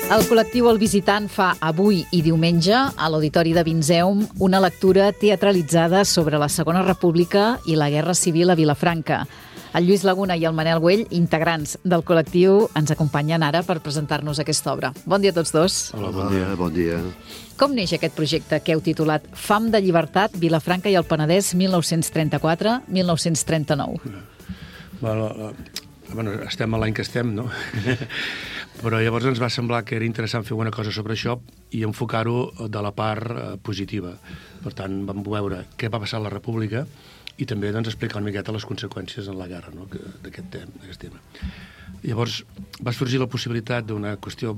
El col·lectiu El Visitant fa avui i diumenge a l'Auditori de Vinzeum una lectura teatralitzada sobre la Segona República i la Guerra Civil a Vilafranca. El Lluís Laguna i el Manel Güell, integrants del col·lectiu, ens acompanyen ara per presentar-nos aquesta obra. Bon dia a tots dos. Hola, bon dia. Bon dia. Com neix aquest projecte que heu titulat Fam de llibertat, Vilafranca i el Penedès 1934-1939? Bueno, estem a l'any que estem, no? Però llavors ens va semblar que era interessant fer una cosa sobre això i enfocar-ho de la part positiva. Per tant, vam veure què va passar a la República i també explicar una miqueta les conseqüències en la guerra, no? d'aquest tema. Llavors va sorgir la possibilitat d'una qüestió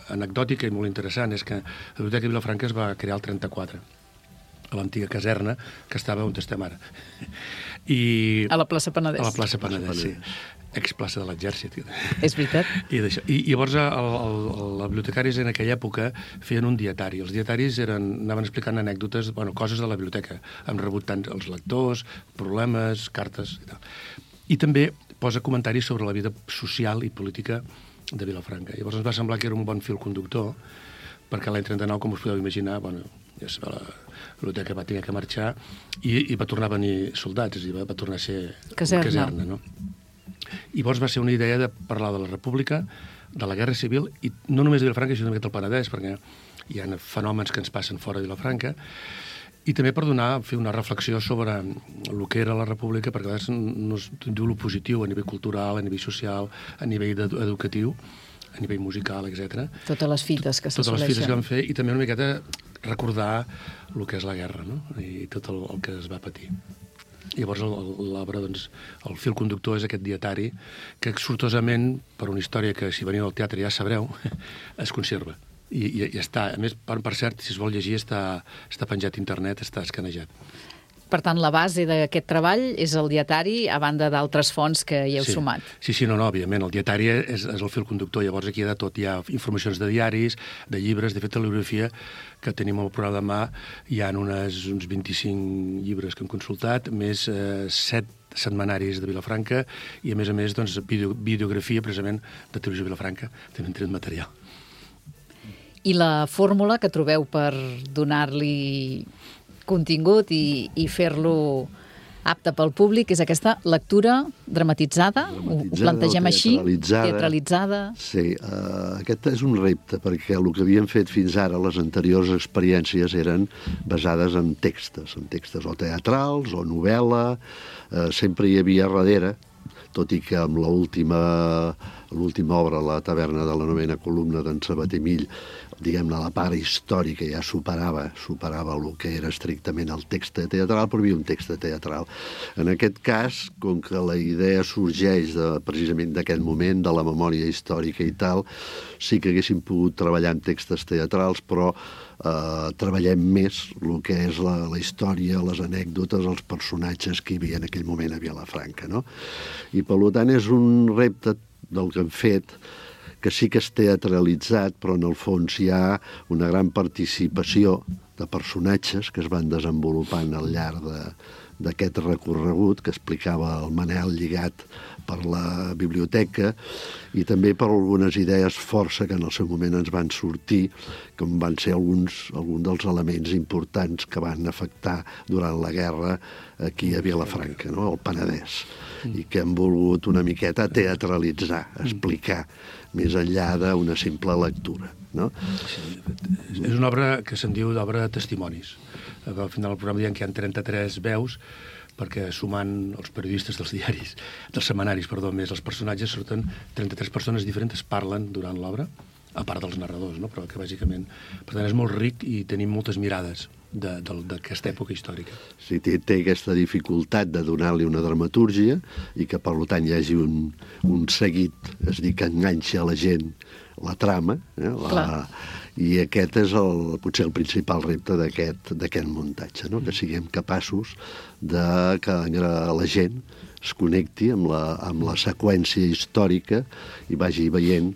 anecdòtica i molt interessant, és que la Biblioteca de Vilafranca es va crear el 34, a l'antiga caserna que estava on estem ara. A la plaça Penedès. A la plaça Penedès, sí. Explaça de l'Exèrcit. És veritat. I llavors els bibliotecaris en aquella època feien un dietari. Els dietaris anaven explicant anècdotes, coses de la biblioteca. Hem rebut tant els lectors, problemes, cartes i tal. I també posa comentaris sobre la vida social i política de Vilafranca. Llavors ens va semblar que era un bon fil conductor, perquè l'any 39, com us podeu imaginar, la biblioteca va haver que marxar i va tornar a venir soldats, és a dir, va tornar a ser caserna, no? I llavors va ser una idea de parlar de la República, de la Guerra Civil, i no només de Vilafranca, sinó també del Penedès, perquè hi ha fenòmens que ens passen fora de Vilafranca, i també per fer una reflexió sobre el que era la República, perquè a vegades no es diu el positiu a nivell cultural, a nivell social, a nivell educatiu, a nivell musical, etc. Totes les fites que s'assoleixen. Totes les fites que vam fer, i també una miqueta recordar el que és la guerra, no? I tot el que es va patir. Llavors l'obra, el fil conductor és aquest dietari que sortosament, per una història que si veniu al teatre ja sabreu, es conserva. I està, a més, per cert, si es vol llegir, està penjat a internet, està escanejat. Per tant, la base d'aquest treball és el dietari, a banda d'altres fonts que hi heu sumat. Sí, no, òbviament, el dietari és el fil conductor, llavors aquí hi ha de tot, hi ha informacions de diaris, de llibres, de fet, la bibliografia que tenim al programa de mà, hi ha uns 25 llibres que hem consultat, més 7 setmanaris de Vilafranca i, a més, videografia, precisament, de Televisió Vilafranca, també hem tret material. I la fórmula que trobeu per donar-li contingut i fer-lo apte pel públic és aquesta lectura dramatitzada, ho plantegem així, teatralitzada. Sí, aquest és un repte, perquè el que havíem fet fins ara, les anteriors experiències eren basades en textos o teatrals o novel·la, sempre hi havia darrere, tot i que amb l'última obra, La taverna de la novena columna d'en Sabater Mill, diguem-ne, la part històrica ja superava el que era estrictament el text teatral, però hi havia un text teatral. En aquest cas, com que la idea sorgeix precisament d'aquest moment, de la memòria històrica i tal, sí que haguéssim pogut treballar amb textos teatrals, però treballem més el que és la història, les anècdotes, els personatges que hi havia en aquell moment a Vilafranca, no? I, per tant, és un repte del que hem fet, que sí que és teatralitzat, però en el fons hi ha una gran participació de personatges que es van desenvolupant al llarg d'aquest recorregut que explicava el Manel, lligat per la biblioteca, i també per algunes idees força que en el seu moment ens van sortir, com van ser alguns dels elements importants que van afectar durant la guerra aquí a Vilafranca, no? Al Penedès, i que hem volgut una miqueta teatralitzar, explicar, més enllà d'una simple lectura, no? Sí, és una obra que se'n diu d'obra de testimonis. Al final del programa diuen que hi ha 33 veus, perquè sumant els periodistes dels diaris, dels setmanaris, més els personatges, surten 33 persones diferents, parlen durant l'obra, a part dels narradors, no? Però que bàsicament... Per tant, és molt ric i tenim moltes mirades d'aquesta època històrica. Sí, té aquesta dificultat de donar-li una dramatúrgia i que, per tant, hi hagi un seguit, és a dir, que enganxa a la gent la trama, i aquest és potser el principal repte d'aquest muntatge, no? Que siguem capaços que la gent es connecti amb la seqüència històrica i vagi veient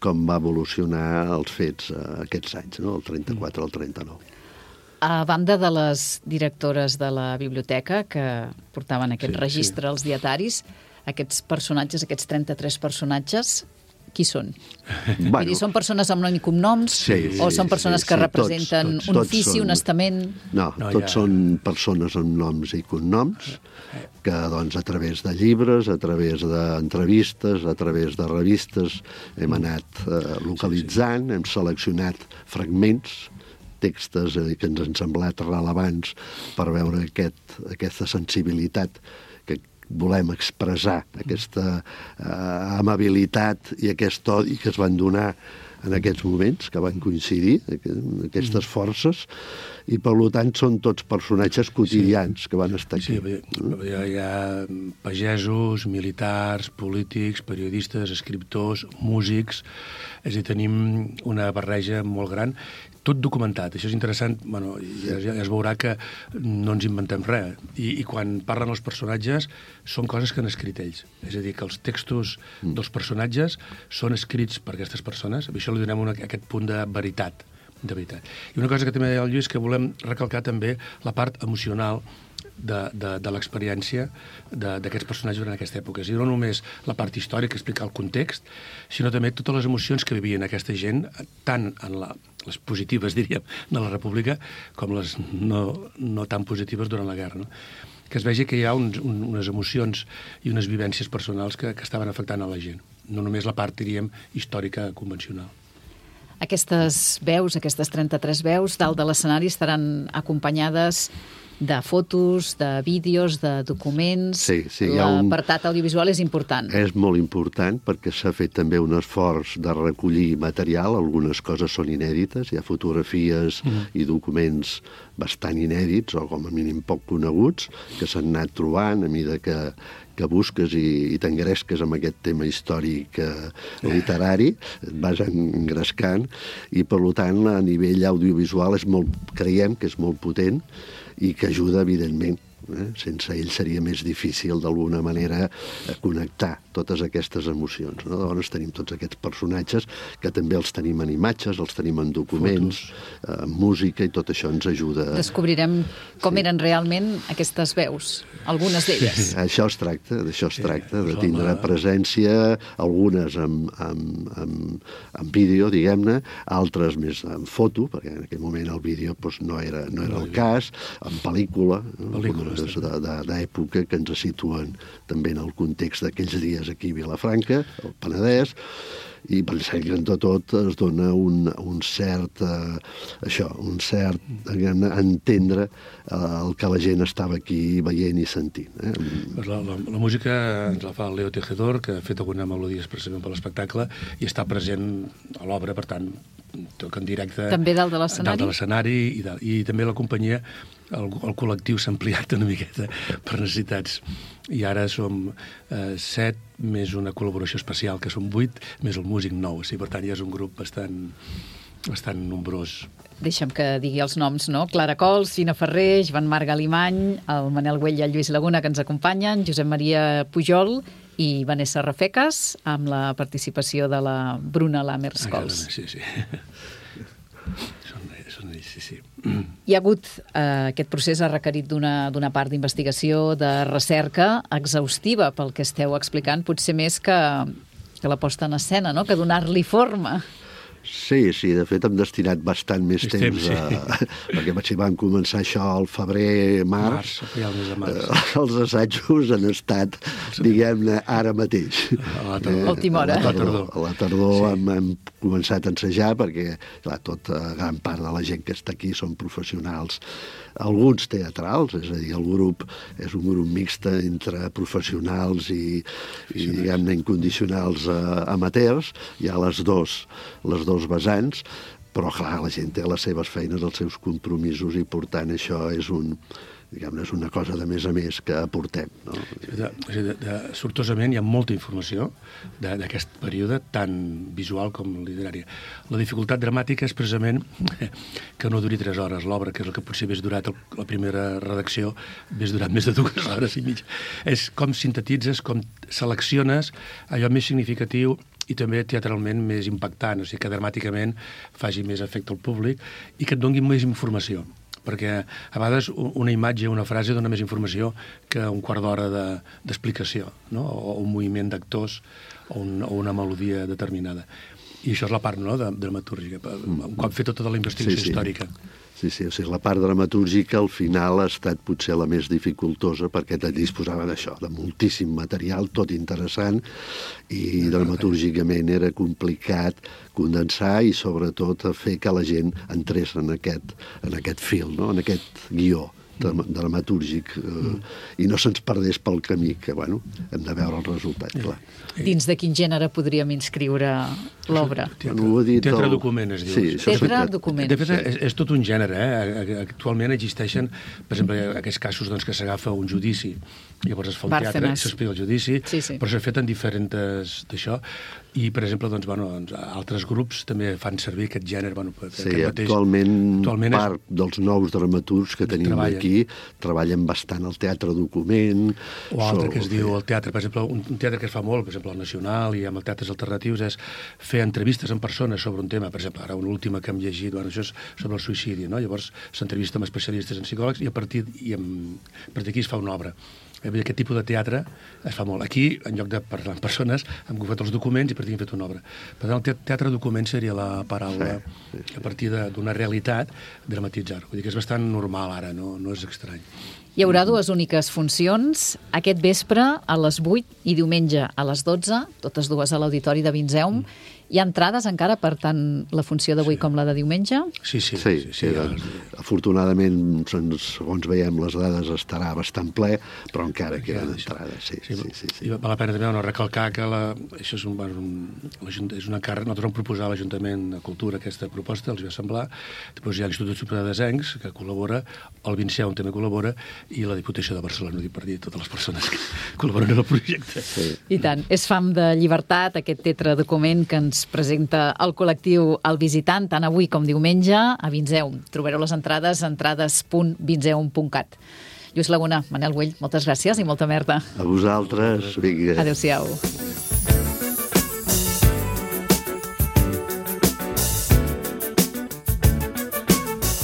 com va evolucionar els fets aquests anys, no? El 34 al 39. A banda de les directores de la biblioteca que portaven aquest registre als dietaris, aquests personatges, aquests 33 personatges, qui són? Bueno, Vull dir, són persones amb nom i cognoms? O són persones que representen un ofici, un estament? No, tots són persones amb noms i cognoms que, doncs, a través de llibres, a través d'entrevistes, a través de revistes, hem anat localitzant, hem seleccionat fragments, textos que ens han semblat rellevants per veure aquesta sensibilitat que volem expressar, aquesta amabilitat i aquest odi que es van donar en aquests moments, que van coincidir, aquestes forces, i per tant són tots personatges quotidians que van estar aquí. Sí, hi ha pagesos, militars, polítics, periodistes, escriptors, músics, és a dir, tenim una barreja molt gran, tot documentat. Això és interessant, bueno, ja es veurà que no ens inventem res. I quan parlen els personatges, són coses que han escrit ells. És a dir, que els textos dels personatges són escrits per aquestes persones. A això li donem aquest punt de veritat. I una cosa que també deia el Lluís, que volem recalcar també la part emocional de l'experiència d'aquests personatges durant aquesta època. És a dir, no només la part històrica, explicar el context, sinó també totes les emocions que vivien aquesta gent, tant en les positives, diríem, de la República, com les no tan positives durant la guerra, no? Que es vegi que hi ha unes emocions i unes vivències personals que estaven afectant a la gent. No només la part, diríem, històrica convencional. Aquestes veus, aquestes 33 veus, dalt de l'escenari estaran acompanyades de fotos, de vídeos, de documents. Sí, l'apartat audiovisual és important. És molt important perquè s'ha fet també un esforç de recollir material, algunes coses són inèdites, hi ha fotografies i documents bastant inèdits o com a mínim poc coneguts que s'han anat trobant a mesura que busques i t'engresques amb aquest tema històric literari, et vas engrescant i per tant a nivell audiovisual creiem que és molt potent i que ajuda, evidentment. Sense ell seria més difícil, d'alguna manera, connectar totes aquestes emocions. Llavors tenim tots aquests personatges que també els tenim en imatges, els tenim en documents, en música, i tot això ens ajuda. Descobrirem com eren realment aquestes veus, algunes d'elles. Això es tracta, de tindre presència, algunes en vídeo, diguem-ne, altres més en foto, perquè en aquell moment el vídeo no era el cas, en pel·lícula, d'època que ens situen també en el context d'aquells dies aquí a Vilafranca, al Penedès, i pensem que entre tot es dona un cert entendre el que la gent estava aquí veient i sentint. La música ens la fa el Leo Tejedor, que ha fet alguna melodia expressament per l'espectacle i està present a l'obra, per tant, toca en directe. També dalt de l'escenari? Dalt de l'escenari i també la companyia, el col·lectiu s'ha ampliat una miqueta per necessitats. I ara som 7, més una col·laboració especial, que som 8, més el músic 9. Per tant, ja és un grup bastant nombrós. Deixa'm que digui els noms, no? Clara Cols, Gina Ferrer, Joan Marc Alimany, el Manel Güell i el Lluís Laguna, que ens acompanyen, Josep Maria Pujol i Vanessa Rafecas, amb la participació de la Bruna Lammers Cols. Sí. Són ells, sí. Hi ha hagut, aquest procés ha requerit d'una part d'investigació, de recerca exhaustiva pel que esteu explicant, potser més que la posta en escena, no? Que donar-li forma. Sí, de fet hem destinat bastant més temps perquè si vam començar això al febrer-març, els assajos han estat, diguem-ne, ara mateix. A l'última hora. A la tardor hem començat a ensejar perquè, clar, gran part de la gent que està aquí són professionals, alguns teatrals, és a dir, el grup és un grup mixt entre professionals i diguem-ne, incondicionals amateurs. Hi ha les dos vessants, però clar, la gent té les seves feines, els seus compromisos, i per tant això és una cosa de més a més que aportem. Sortosament hi ha molta informació d'aquest període, tant visual com literària. La dificultat dramàtica és precisament que no duri 3 hores l'obra, que és el que potser hagués durat la primera redacció, hagués durat més de 2 hores i mitja. És com sintetitzes, com selecciones allò més significatiu i també teatralment més impactant, o sigui que dramàticament faci més efecte al públic i que et doni més informació. perquè a vegades una imatge, una frase dona més informació que un quart d'hora d'explicació, no? O un moviment d'actors o una melodia determinada. I això és la part, no?, de dramatúrgica, quan fer tota la investigació històrica. Sí, o sigui, la part dramatúrgica al final ha estat potser la més dificultosa perquè disposava d'això, de moltíssim material, tot interessant, i dramatúrgicament era complicat condensar i sobretot fer que la gent entrés en aquest fil, no?, en aquest guió dramatúrgic i no se'ns perdés pel camí, que, bueno, hem de veure el resultat, clar. Dins de quin gènere podríem inscriure l'obra? Teatre document, es diu. Sí, teatre document. De fet, és tot un gènere, Actualment existeixen, per exemple, aquests casos que s'agafa un judici, llavors es fa un teatre i s'explica el judici, però s'ha fet en diferents d'això, i, per exemple, altres grups també fan servir aquest gènere. Sí, actualment part dels nous dramaturgs que tenim aquí treballen bastant el teatre document. O altre que es diu el teatre, per exemple, un teatre que es fa molt, per exemple, al Nacional i amb els teatres alternatius, és fer entrevistes amb persones sobre un tema. Per exemple, ara una última que hem llegit, això és sobre el suïcidi, no? Llavors s'entrevista amb especialistes en psicòlegs i a partir d'aquí es fa una obra. Aquest tipus de teatre es fa molt. Aquí, en lloc de parlar amb persones, hem agafat els documents i a partir hem fet una obra. Per tant, el teatre document seria la paraula a partir d'una realitat dramatitzar-ho. Vull dir que és bastant normal ara, no és estrany. Hi haurà dues úniques funcions, aquest vespre a les 8 i diumenge a les 12, totes dues a l'Auditori de Vinzeum. Hi ha entrades encara per tant la funció d'avui com la de diumenge? Sí. Afortunadament, segons veiem les dades, estarà bastant ple, però encara queden entrades. Sí. I val la pena també recalcar que això és una càrrega. Nosaltres vam proposar a l'Ajuntament de Cultura aquesta proposta, els va semblar. Després hi ha l'Institut Superior de Desencs, que col·labora, el Vinceum també col·labora, i la Diputació de Barcelona, per dir totes les persones que col·laboren en el projecte. I tant. És fam de llibertat, aquest teatre document que ens presenta el col·lectiu El Visitant, tant avui com diumenge, a Vinzeum. Trobareu les entrades a entrades.vinzeum.cat. Lluís Laguna, Manel Güell, moltes gràcies i molta merda. A vosaltres, vinga. Adéu-siau.